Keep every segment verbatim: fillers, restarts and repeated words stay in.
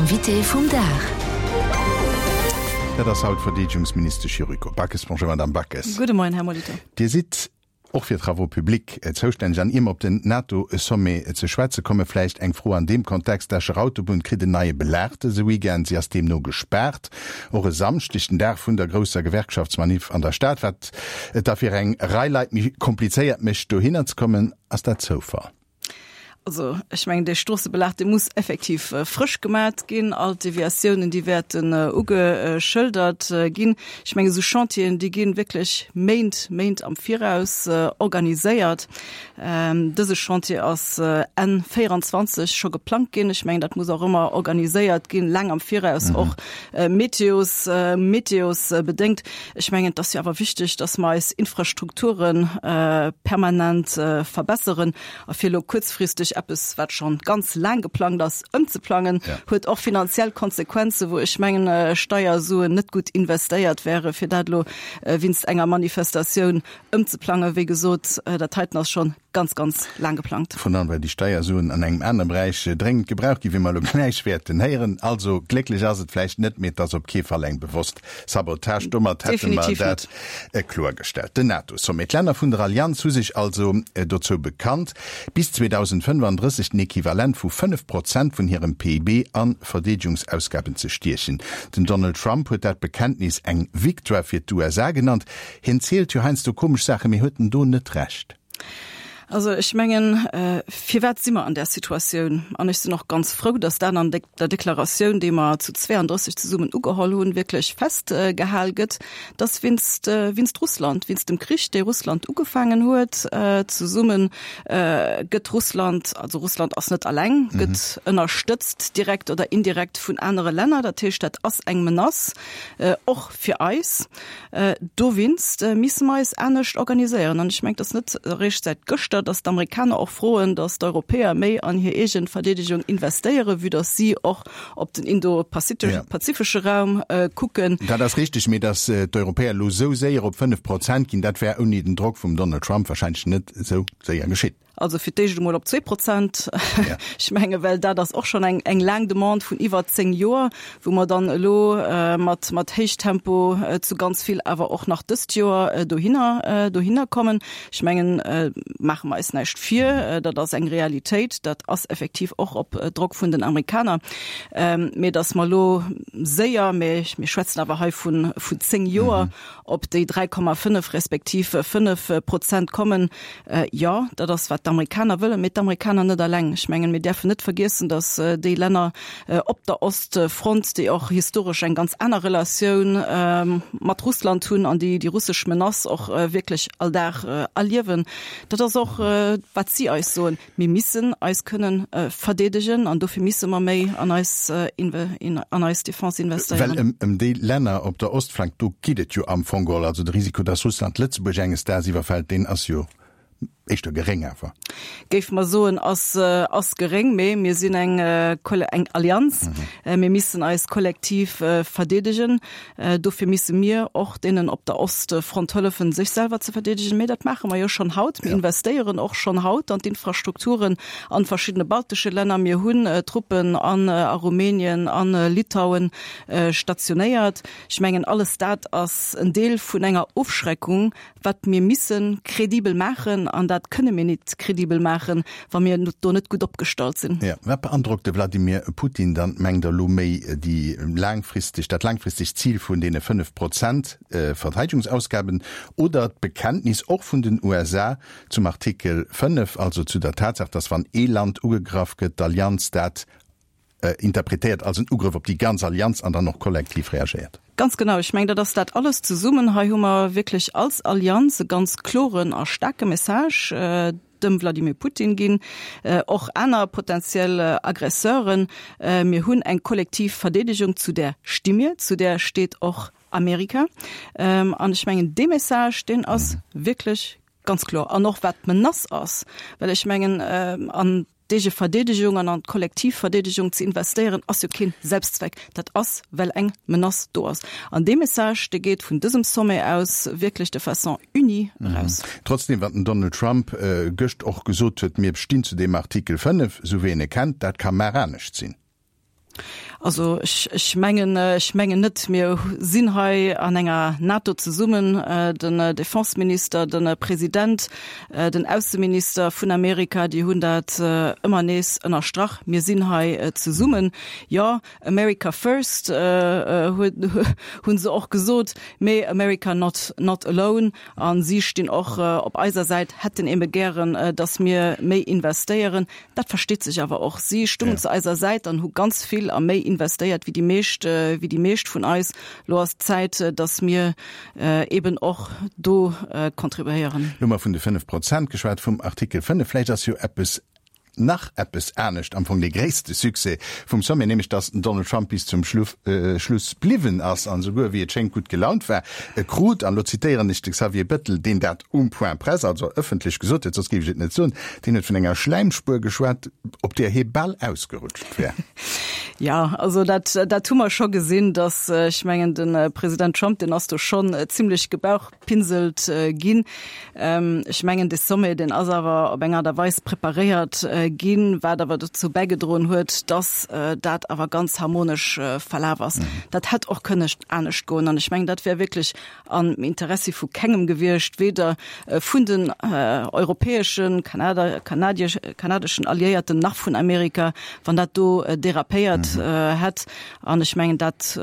Invité vum Dag. Dat ass haut d'Verdeedegungsministesch Yuriko Backes. Bonjour Madame Backes. Gudde Moien, Här Molitor. Dir sidd och fir Travaux publics zoustänneg an ier mer op den NATO-Sommet ze schwätze komme vläicht eng Fro an deem Kontext, D'Escher Autobunn kritt en neie Belag dëse Weekend. Si ass deemno gespaart, och e Samschdeg, den Dag vun der grousser Gewerkschaftsmanif an der Stad, wat et da fir eng Rei Leit méi komplizéiert mécht, dohinner ze kommen. Ass dat Zoufall? Also ech mengen dee Stroossebelag dee muss effektiv frësch gemat ginn. All d'Deviatiounen déi wäerten ugeschëldert ginn. Ech mengen esou Chantieren déi ginn wierklech Méint, Méint am Viraus organiséiert. Dëse Chantier ass Enn véieranzwanzeg scho geplangt ginn. Ech mengen dat muss och ëmmer organiséiert ginn, laang am Viraus, och meteos, meteosbedéngt. Ech mengen et ass jo awer wichteg, datt mer eis Infrastrukture permanent verbesseren a fir elo kuerzfristeg eppes, wat schonn ganz laang geplangt ass, ëmzeplangen, huet och finanziell Konsequenzen, wou ech mengen, Steiersuen net gutt investéiert wäre fir dat elo wéinst enger Manifestatioun ëmzeplangen. Wéi gesot, dat heiten ass schonn ganz, ganz laang geplangt. Virun allem, well déi Steiersuen an engem anere Beräich dréngend gebraucht ginn, wéi mer elo gläich wäerten héieren. Also glécklech ass et vläicht net, mee et ass op kee Fall eng bewosst Sabotage. Domat hätte mer dat kloergestallt. Den NATO-Sommet. D'Länner vun der Allianz hu sech also dozou bekannt, bis zweedausendfënfandrësseg den Equivalent vu fënnef Prozent vun hirem P I B a Verdeedegungsausgaben ze stiechen. Den Donald Trump huet dat Bekenntnis eng Victoire fir d'U S A genannt. Hien zielt jo heiansdo komesch Saachen, mee huet en do net Recht? Also ech mengen, firwat si mer an där Situatioun? An ech sinn och ganz frou, datt dat an der Deklaratioun, déi mer zu zweeandrësseg zesummen ugeholl hunn, wierklech festgehal gëtt, datt wéinst, wéinst Russland, wéinst dem Krich, dee Russland ugefaangen huet, zesumme gëtt Russland, also Russland ass net alleng, gëtt ënnerstëtzt direkt oder indirekt vun anere Länner. Dat heescht, dat ass eng Menace och fir eis. Dowéinst misse mer eis anescht organiséieren. An ech mengen, et ass net eréischt säit gëschter, datt d'Amerikaner och froen, datt d'Europäer méi an hir eegen Verdeedegung investéieren, vue datt si och op den indo-pazifesche Raum kucken. Dat ass richteg, mee datt d'Europäer elo esou séier op fënnef Prozent ginn, dat wär ouni den Drock vum Donald Trump wahrscheinlech net esou séier geschitt. Also fir d'éischt emol op zwee Prozent. Ech menge well dat ass och schonn eng eng laang Demande vun iwwer zéng Joer, wou mer dann elo mat mat Héichtempo zu ganz vill awer och nach dëst Joer dohinner dohinner kommen. Ech mengen, maache mer eis näischt vir, dat ass eng Realitéit, dat ass effektiv och op Drock vun den Amerikaner. Mee datt mer elo séier, mee mir schwätzen awer hei vun vun zéng Joer, op déi dräi Komma fënnef respektiv fënnef Prozent kommen, jo, dat ass wat d'Amerikaner wëllen, mee d'Amerikaner net alleng. Ech mengen, mir däerfen net vergiessen, datt déi Länner op der Ostfront, déi och historesch eng ganz aner Relatioun mat Russland hunn an déi déi russesch Menace och wierklech all Dag erliewen, dat ass och wat si eis soen, mir missen eis kënnen verdeedegen an dofir misse mer méi an eis an eis Defense investéieren. Well ëm déi Länner op der Ostflank, do geet et jo am Fong geholl. Also de Risiko, datt Russland Lëtzebuerg enges Daags iwwerfält, deen ass jo éischter geréng awer. Géife mer soen, ass ass geréng, mee mir sinn eng eng Allianz. Mir missen eis kollektiv verdeedegen. Dofir misse mir och deenen op der Ostfront hëllefen, sech selwer ze verdeedegen. Mee dat maache mer jo schonn haut. Mir investéieren och schonn haut an d'Infrastrukturen an verschiddene baltesche Länner. Mir hunn Truppen an a Rumänien, a Litauen stationéiert. Ech mengen, alles dat ass en Deel vun enger Ofschreckung, wat mir missen kredibel maachen, an dat kënne mir nit kredibel maachen, wa mir do net gutt opgestallt sinn. Jo, wat beandrockt de Wladimir Putin dann, mengt Der, elo méi déi laangfristeg, dat laangfristegt Zil vun deene fënnef Prozent Verteidegungsausgaben oder d'Bekenntnis och vun den U S A zum Artikel fënnef, also zu der Tatsaach, datt wann ee Land ugegraff gëtt, d'Allianz dat interpretéiert als en Ugrëff op déi ganz Allianz an dann och kollektiv reagéiert? Ganz genau. Ech mengen, dat ass dat alles zesummen. Hei hu mer wierklech als Allianz e ganz kloren a staarke Message dem Wladimir Putin ginn, och aner potentiell Aggresseuren. Mir hunn eng kollektiv Verdeedegung, zu där sti mir, zu där steet och Amerika. An ech mengen, dee Message, deen ass wierklech ganz kloer. An och wat d'Menace ass, well ech mengen, an d'eege Verdeedegung an an d'kollektiv Verdeedegung ze investéieren, ass jo keen Selbstzweck. Dat ass, well eng Menace do ass. An dee Message, dee geet vun dësem Sommet aus wierklech de façon unie eraus. Trotzdem, wat den Donald Trump gëscht och gesot huet, Mir stinn zu deem Artikel fënnef, esou wéi een e kennt, dat ka mar anescht sinn. Also ech, ech mengen, ech mengen net. Mir sinn hei an enger NATO zesummen, den Defenseminister, den President, den Ausseminister vun Amerika, déi hunn dat ëmmer nees ënnerstrach, mir sinn hei zesummen. Jo, America first hunn se och gesot, mee America not, not alone. A si stinn och op eiser Säit, hätten ebe gären, datt mir méi investéieren. Dat versteet sech awer och. Si stungen zu eiser Säit an hu ganz vill a méi investéiert wéi déi meescht, wéi déi meescht vun eis. Lo ass d'Zäit, datt mir eben och do contribuéieren. Lo hu mer vun de fënnef Prozent geschwat, vum Artikel fënnef. Vläicht ass jo eppes nach eppes anescht am Fong dee gréisste Succès vum Sommet, nämlech datt den Donald Trump bis zum Schluff, Schluss bliwwen ass an esouguer, wéi et schéngt, gutt gelaunt war. E krut, an elo zitéieren ech de Xavier Bettel, deen dat um Point presse, also ëffentlech gesot huet, soss géif ech et net soen, deen huet vun enger Schläimspuer geschwat, op där hie bal ausgerutscht wär. Jo, also dat, dat hu mer scho gesinn, datt, ech mengen, de President Trump, deen ass do schonn zimlech gebauchpinselt ginn. Ech mengen, dee Sommet, deen ass awer op eng Aart a Weis preparéiert ginn, wat awer dozou bäigedroen huet, datt dat awer ganz harmonesch verlaf ass. Dat hätt och kënne anescht goen an ech mengen, dat wär wierklech am Interessi vu kengem gewiescht, weder vun den europäeschen, kanadeschen Alliéierten nach vun Amerika, wann dat do derapéiert hätt. An ech mengen, dat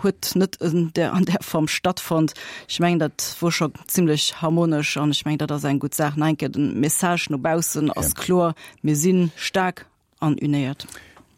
huet net an där an där Form stattfonnt. Ech mengen, dat wor scho zimlech harmonesch an ech mengen, dat ass eng gutt Saach. Nach eng Kéier, de Message no baussen ass kloer, Mir si staark an unéiert.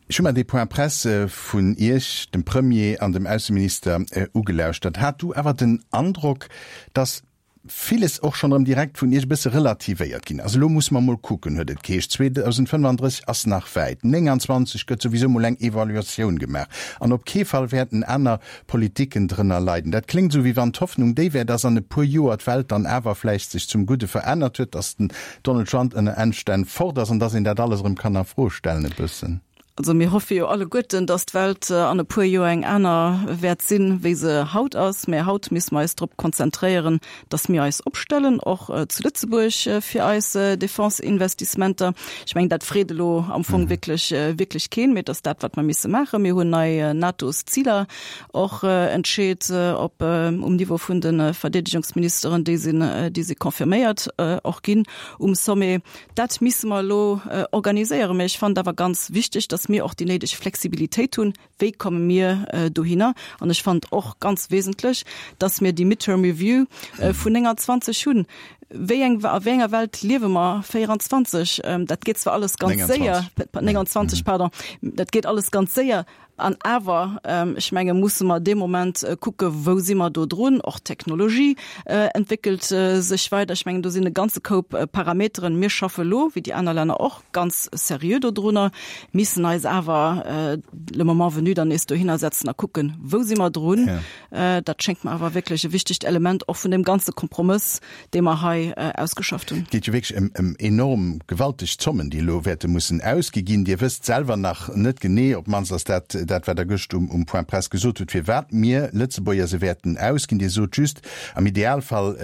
Ech hu mer dee Point presse vun Iech, dem Premier an dem Ausseminister ugelauschtert. Hat du awer den Androck, datt villes och schonn erëm direkt vun Iech e bësse relativéiert ginn ass? Elo musse mer mol kucken, huet et geheescht, zweedausendfënnefandrësseg ass nach wäit, nénganzwanzeg gëtt souwisou mol eng Evaluatioun gemaach an op kee Fall wäerten aner Politiken drënner leiden. Dat kléngt esou, wéi wann d'Hoffnung déi wär, datt an e puer Joer d'Welt dann awer vläicht sech zum Gudde verännert huet, datt den Donald Trump ënner Emstänn fort ass an datt een dat alles erëm kann a Fro stellen e bëssen. Also mir hoffe jo alleguerten, dass d'Welt an e puer Joer eng aner wäert sinn, wéi se haut ass. Mä haut misse mer eis drop konzentréieren, dass mir eis opstellen, och zu Lëtzebuerg fir eis Defense-Investissementer. Ech mengen, dat freet elo am Fong wierklech, wierklech keen, mee et ass dat, wat mer misse maachen. Mir hunn nei NATO-Ziler och entscheet op um Niveau vun de Verdeedegungsministeren, déi sinn, déi si confirméiert och ginn um Sommet. Dat misse mer elo organiséieren. Mä ech fannen et awer ganz wichteg, dass mir och déi néideg Flexibilitéit hunn, wéi komme mir dohinner. An ech fannen et och ganz wesentlech, dass mir déi Midterm Review vun nénganzwanzeg hunn. Wéi eng, a wéi enger Welt liewe mer véieranzwanzeg? Dat geet zwar alles ganz séier, nénganzwanzeg, pardon, dat geet alles ganz séier, An awer, ech menge musse mer dee Moment kucke wou si mer do drun. Och d'Technologie entwéckelt sech weider. Ech mengen do sinn e ganze Koup Parameteren. Mir schaffe lo, wéi déi aner Länner och, ganz seriö dodrunner, missen eis awer le moment venu dann nees dohinner setzen a kucken, wou si mer drun. Dat schéngt mer awer wierklech e wichtegt Element och vun deem ganze Kompromëss, dee mer hei ausgeschafft hunn. Et geet jo wierklech ëm enorm gewalteg Zommen, déi elo wäerte mussen ausgi ginn. Dir wësst selwer nach net genee, op d'mannst ass dat dat, wat Der gëscht um Point presse gesot hutt, firwat mir Lëtzebuerger se wäerten ausginn. Dir sot just, am Idealfall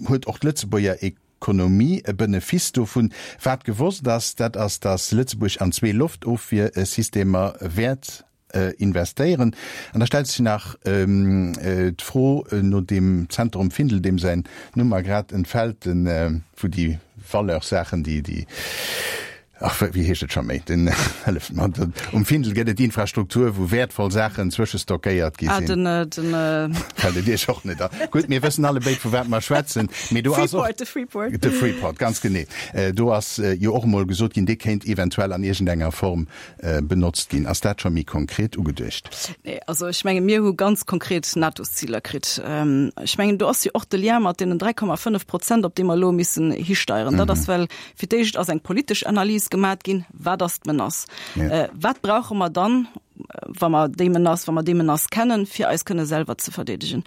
huet och d'Lëtzebuerger Ekonomie e Benefice dovun. Wat gewosst ass, dat ass, datt Lëtzebuerg an zwee Loftofwiersystemer wäert investéieren. An da stellt sech nach d'Fro no deem Zenter um Findel, deem säin Numm mer grad entfält, wou déi Valeur-Saachen, déi, déi, ach, wéi heescht et scho méi, den, hëlleft mer, um Findel gëtt et Infrastruktur, wou wäertvoll Saachen zwëschestockéiert gi sinn. Ah, den, den. Fält et Iech och net an? Gutt, mir wëssen allebéid, vu wat mer schwätzen. Mee do ass och. Freeport, de Freeport. De Freeport, ganz genee. Do ass jo och emol gesot ginn, dee kéint eventuell an iergendenger Form benotzt ginn. Ass dat scho méi konkret ugeduecht? Nee, also ech menge mir hu ganz konkret NATO-Ziler kritt. Ech mengen, do ass jo och de Lien mat deenen dräi Komma fënnef Prozent, op déi mer elo missen histeieren. Dat ass, well fir d'éischt ass eng politesch Analys gemat ginn, Wat ass d'Menace? Wat brauche mer dann, wa mer déi Menace, wa mer déi Menace kennen, fir eis kënne selwer ze verdeedegen?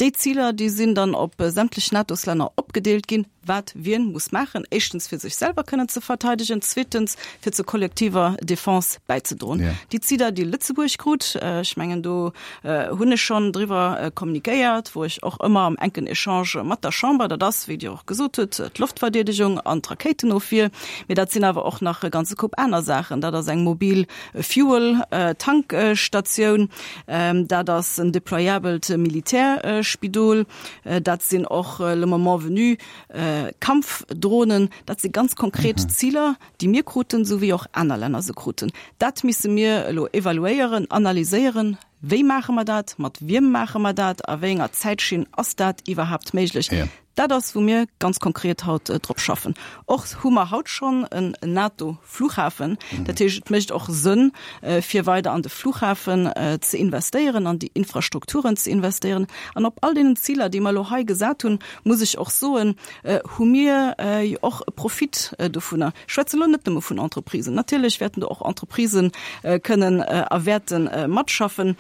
Déi Ziler, déi sinn dann op sämtlech NATO-Länner opgedeelt ginn. wat wien muss maachen, éischtens fir sech selwer kënnen ze verteidegen, zweetens fir zur kollektiver Defense bäizedroen. Yeah. Déi Ziler, déi Lëtzebuerg krut, ech mengen do hunn ech schonn driwwer kommunikéiert, wou ech och ëmmer am enken Echange mat der Chamber, dat ass, wéi Dir och gesot hutt, d'Loftverdeedegung an d'Rakéitenofwier, mee dat sinn awer och nach e ganze Koup aner Saachen, dat ass eng mobil Fuel Tankstatioun, dat ass en deployabelt Militärspidol, dat sinn och le moment venu Kampfdrohnen. Dat si ganz konkret Ziler, déi mir kruten, esou wéi och aner Länner se kruten. Dat misse mir elo evaluéieren, analyséieren, Wéi maache mer dat, mat wiem maache mer dat, a wéi enger Zäitschinn ass dat iwwerhaapt méiglech? Dat ass, wou mir ganz konkret haut drop schaffen. Och hu mer haut schonn en NATO-Flughafen. Dat heescht, et mécht och Sënn, fir weider an de Flughafen ze investéieren, an déi Infrastrukturen ze investéieren. An op all deenen Ziler, déi mer elo hei gesat hunn, muss ech och soen, hu mir jo och e Profit dovunner. Ech schwätze elo net nëmme vun Entreprisen. Natierlech wäerten do och Entreprisë kënnen a wäerte matschaffen.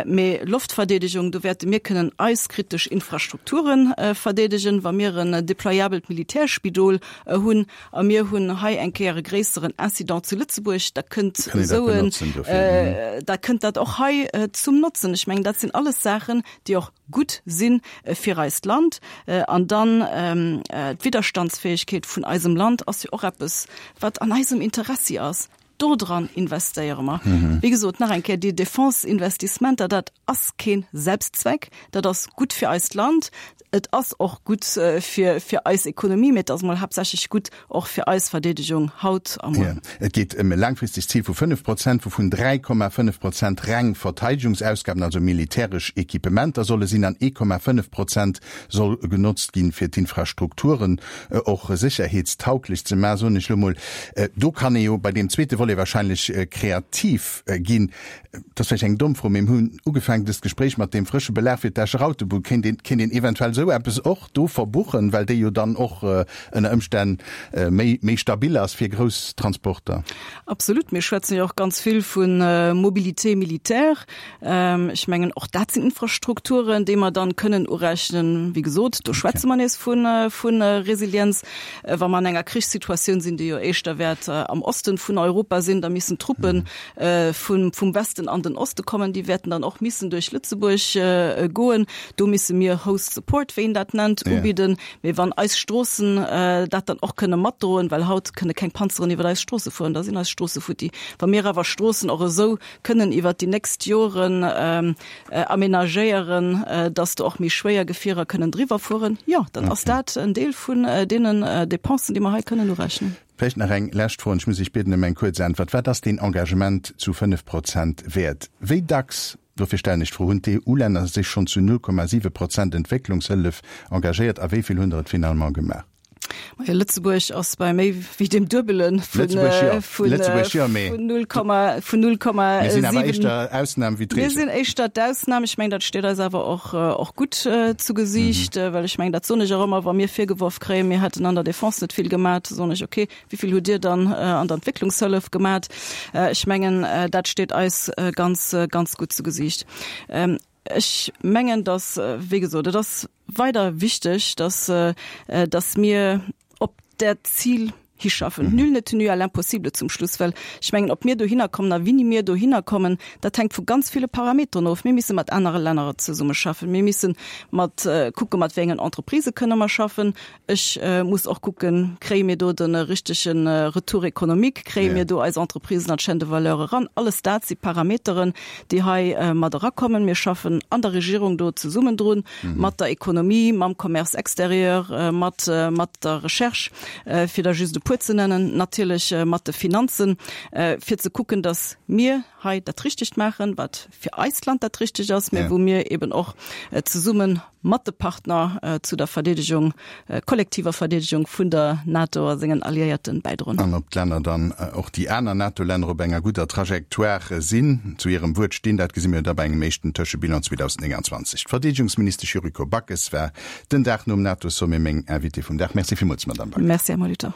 Mee Loftverdeedegung, do wäerte mir kënnen eis kritesch Infrastrukture verdeedegen, wa mir en deployabelt Militärspidol hunn a mir hunn hei eng Kéier e gréisseren Incident zu Lëtzebuerg, da kënnt esou en, da kënnt dat och hei zum Notzen. Ech mengen, dat sinn alles Saachen, déi och gutt si fir eist Land. An dann d'Widderstandsfäegkeet vun eisem Land ass jo och eppes, wat an eisem Interessi ass. Dodran investéiere mer. Wéi gesot, nach eng Kéier, déi Defense-Investissementer, dat ass kee Selbstzweck, dat ass gutt fir eist Land, et ass och gutt fir fir eis Ekonomie, mee et ass emol haaptsächlech gutt och fir eis Verdeedegung haut a muer. Et geet ëm e laangfristegt Zil vu fënnef Prozent, wouvun dräi Komma fënnef Prozent reng Verteidegungsausgaben, also militäresch Equipementer solle sinn, an ee Komma fënnef Prozent soll genotzt ginn, fir d'Infrastrukturen och sécherheetstauglech ze maachen, soen ech elo mol. Do kann ee jo bei deem zweete Volet wahrscheinlech kreativ ginn. Dat ass vläicht eng domm Fro, mee mir hunn ugefaangen dëst Gespréich mat deem frësche Belag fir d'Escher Autobunn. Kéint een, kéint een eventuell esou eppes och do verbuchen, well déi jo dann och ënner Ëmstänn méi, méi stabil ass fir grouss Transporter? Absolut. Mir schwätzen jo och ganz vill vu Mobilité militaire. Ech mengen, och dat sinn Infrastrukturen, déi mer dann kënnen urechnen. Wéi gesot, do schwätze mer nees vu, vu Resilienz. Wa mer an enger Krichssituatioun sinn, déi jo éischter wäert am Osten vun Europa sinn, da missen Truppe vum, vum Westen an den Oste kommen, déi wäerten dann och missen duerch Lëtzebuerg goen. Do misse mir Host Support, wéi een dat nennt, ubidden. Mee wann eis Stroossen dat dann och kënne matdroen, well haut kënne keng Panzeren iwwer eis Stroosse fueren, da sinn eis Stroosse futti. Wa mir awer Stroossen och esou kënnen iwwert déi nächst Joren amenagéieren, dass do och méi schwéier Gefierer kënnen driwwer fueren, jo, dann ass dat en Deel vun deenen Dépensen, déi mer hei kënnen urechnen. Vläicht nach eng lescht Fro, an ech muss Iech bieden ëm eng kuerz Äntwert, Wat ass deen Engagement zu fënnef Prozent wäert? Wéi dacks, dofir stellen ech d'Fro, hunn d'EU-Länner sech schonn zu null Komma siwe Prozent Entwécklungshëllef engagéiert a wéi vill hunn der et finalement gemaach? Majo, Lëtzebuerg ass bei méi wéi deem Duebele vun null Komma vun null Komma siwen. Mir sinn awer éischter Ausnam wéi d'Reegel. Mir sinn éischter d'Ausnam. Ech mengen, dat steet eis awer och och gutt zu Gesiicht, well ech mengen, dat soen ech och ëmmer, wa mir virgeworf kréien, mir hätten an der Defense net vill gemat, soen ech, okay, wéi vill hutt Dir dann an der Entwécklungshëllef gemat? Ech mengen, dat steet eis ganz, ganz gutt zu Gesiicht. Ech mengen, datt, wéi gesot, et ass weider wichteg, datt, datt mir op dat Zil hischaffen. Nul n'est tenu à l'impossible zum Schluss, well ech mengen, ob mir dohinner kommen a wéini mir dohinner kommen, dat hänkt vu ganz ville Parameteren of. Mir misse mat anere Länner zesummeschaffen, mir misse mat kucke mat wéi engen Entreprisë kënne mer schaffen. Ech muss och kucken, kréie mir do de richtege Retour économique, kréie mir do eis Entreprisen an d'Chaîne de valeur eran? Alles dat si Parameteren, déi hei mat erakommen. Mir schaffen an der Regierung do zesummen drun, mat der Ekonomie, mam Commerce extérieur, mat mat der Recherche, fir der just e puer ze nennen, natierlech mat de Finanzen, fir ze kucken, datt mir hei dat Richtegt maachen, wat fir eist Land dat Richtegt ass, mä wou mir eben och zesumme mat de Partner zu der Verdeedegung, kollektiver Verdeedegung vun der NATO a sengen Alliéierten bäidroen. An ob d'Länner dann, och déi aner NATO-Länner, op enger gudder Trajectoire sinn, zu hirem Wuert stinn, dat gesi mir da bei engem éischten Tëschebilan zweedausendnénganzwanzeg. D'Verdeedegungsministesch Yuriko Backes war den Dag nom NATO-Sommet meng Invitée vum Dag. Merci villmools, Madamm Backes. Merci, Här Molitor.